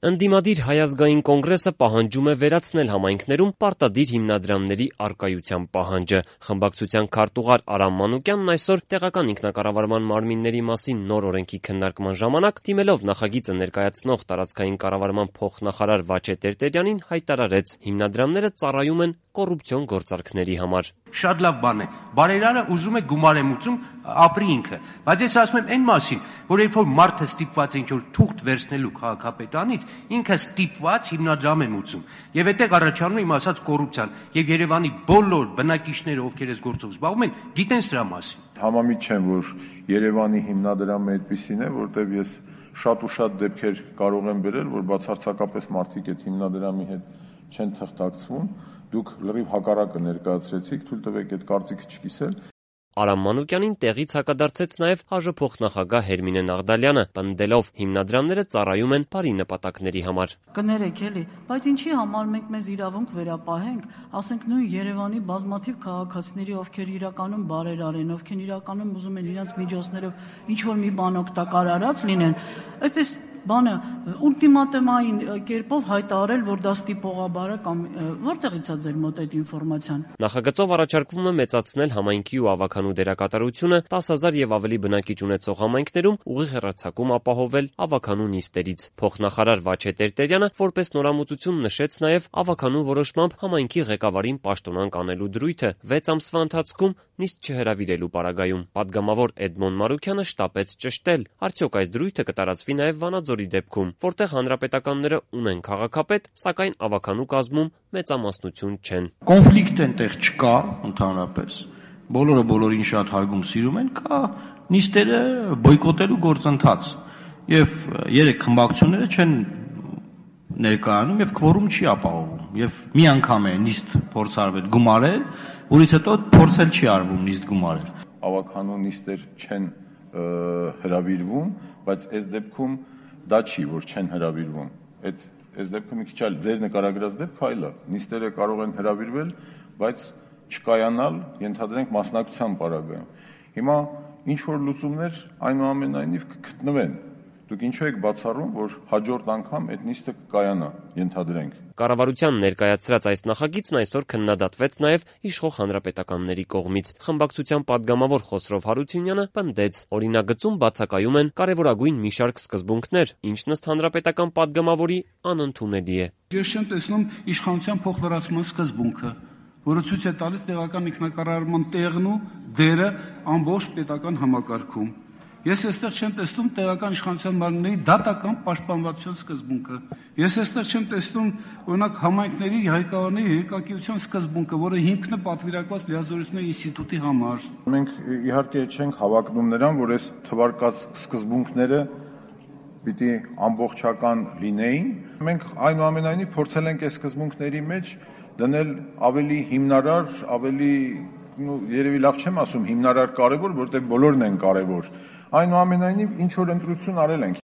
Ընդդիմադիր Հայ ազգային կոնգրեսը պահանջում է վերացնել համայնքներում պարտադիր հիմնադրամների առկայության պահանջը։ Խմբակցության քարտուղար Արամ Մանուկյանն այսօր տեղական ինքնակառավարման մարմինների մասին նոր օրենքի քննարկման ժամանակ, դիմելով նախագիծը ներկայացնող տարածքային կառավարման փոխնախարար Վաչե Տերտերյանին, հայտարարեց՝ հիմնադրամները ծառայում են կոռուպցիոն գործարքների համար։ Շատ լավ բան է։ Բարերարը ուզում է գումար եմ ուծում, ապրի ինքը։ Բայց ես ասում եմ այն մասին, որ երբ որ մարդը ստիպված է ինչ-որ թուղթ վերցնելու քաղաքապետանից, ինքը ստիպված հիմնադրամ եմ ուծում։ Եվ այդտեղ առաջանում է իմ ասած կոռուպցիան։ Եվ Երևանի բոլոր բնակիչները, ովքեր այս գործով զբաղվում են, գիտեն սրա մասին։ Համամիտ չեմ, որ Երևանի հիմնադրամը այդպիսին է, որտեղ ես շատ ու շատ դեպքեր կարող եմ բերել, որ բացարձակապես մարդիկ այդ հիմնադրամի հետ չեն թղթակցվում, դուք լրիվ հակառակը ներկայացրեցիք, թույլ տվեք այդ կարծիքը չկիսել։ Արամ Մանուկյանին տեղից հակադարձեց նաև ՀԱԺ փոխնախագահ Հերմինե Նաղդալյանը, պնդելով հիմնադրամները ծառայում են բարի նպատակների համար։ Կներեք էլի, բայց ինչի համար մենք մեզ իրավունք վերապահենք, ասենք նույն Երևանի բազմաթիվ քաղաքացիների, ովքեր իրականում բարերար են, ովքեր իրականում ուզում են իրենց միջոցներով ինչ-որ մի բան օգտակար լինեն, այդպես բանը ուլտիմատումային կերպով հայտարարել, որ դա ստիպողաբար է կամ որտեղից է ձեր մոտ այդ ինֆորմացիան։ Նախագծով առաջարկվում է մեծացնել համայնքի ու ավականու դերակատարությունը 10,000 եւ ավելի բնակիչ ունեցող համայնքներում ուղիղ հեռարձակում ապահովել ավականու նիստերից։ Փոխնախարար Վաչե Տերտերյանը որպես նորամուծություն նշեց նաև ավականու որոշմամբ համայնքի ղեկավարին պաշտոնանկ անելու դրույթը 6 ամսվա ընթացքում նիստ չհրավիրելու պարագայում։ Պատգամավոր Էդմոն Մարուքյանը շտապեց ճշտել, արդյոք այս դրույթը կտարածվի նաև Վանաձորի դեպքում, որտեղ հանրապետականները ունեն քաղաքապետ, սակայն ավականու կազմում մեծամասնություն չեն։ Կոնֆլիկտ այնտեղ չկա ընդհանրապես։ Բոլորը բոլորին շատ հարգում սիրում են, կա նիստերը բոյկոտելու գործընթաց։ Եվ 3 խմբակցությունները չեն ներկայանում եւ քվորում չի ապահովում։ Եվ մի անգամ է նիստ փորձարվել գումարել, որից հետո փորձել չի արվում նիստ գումարել։ Ավականու նիստեր չեն հրավիրվում, բայց այս դեպքում դա չի, որ չեն հրավիրվում։ Այս դեպքում մի քիչ այլ ձեր նկարագրած դեպքը այլ է։ Նիստերը կարող են հրավիրվել, բայց չկայանալ, ենթադրենք մասնակցության պարագայում։ Հիմա ինչ որ լուծումներ այնուամենայնիվ կգտնվեն։ Դուք ինչու եք բացառում, որ հաջորդ անգամ այդ նիստը կկայանա, ենթադրենք։ Կառավարության ներկայացրած այս նախագիծն այսօր քննադատվեց նաև իշխող հանրապետականների կողմից։ Խմբակցության պատգամավոր Խոսրով Հարությունյանը պնդեց, օրինագծում բացակայում են կարևորագույն մի շարք սկզբունքներ, ինչն ըստ հանրապետական պատգամավորի անընդունելի է։ Ես չեմ տեսնում իշխանության փոխլրացման սկզբունքը, որը ցույց է տալիս տեղական ինքնակառավարման տեղն ու դերը ամբողջ պետական համակարգում։ Ես այստեղ չեմ տեսնում տեղական իշխանության մարմինների դատական պաշտպանվածության սկզբունքը։ Ես այստեղ չեմ տեսնում օրինակ համայնքների ղեկավարների երկակիության սկզբունքը, որը հիմքն է պատվիրակված լիազորությունների ինստիտուտի համար։ Մենք իհարկե չենք հավակնում նրան, որ այս թվարկած սկզբունքները պիտի ամբողջական լինեին։ Մենք այնուամենայնիվ փորձել ենք այս սկզբունքների մեջ դնել ավելի հիմնարար, ավելի երևի լավ չեմ ասում հիմնարար կարևոր, որտեղ բոլորն են կարևոր։ Այնուամենայնիվ ինչ որ ընտրություն արել ենք։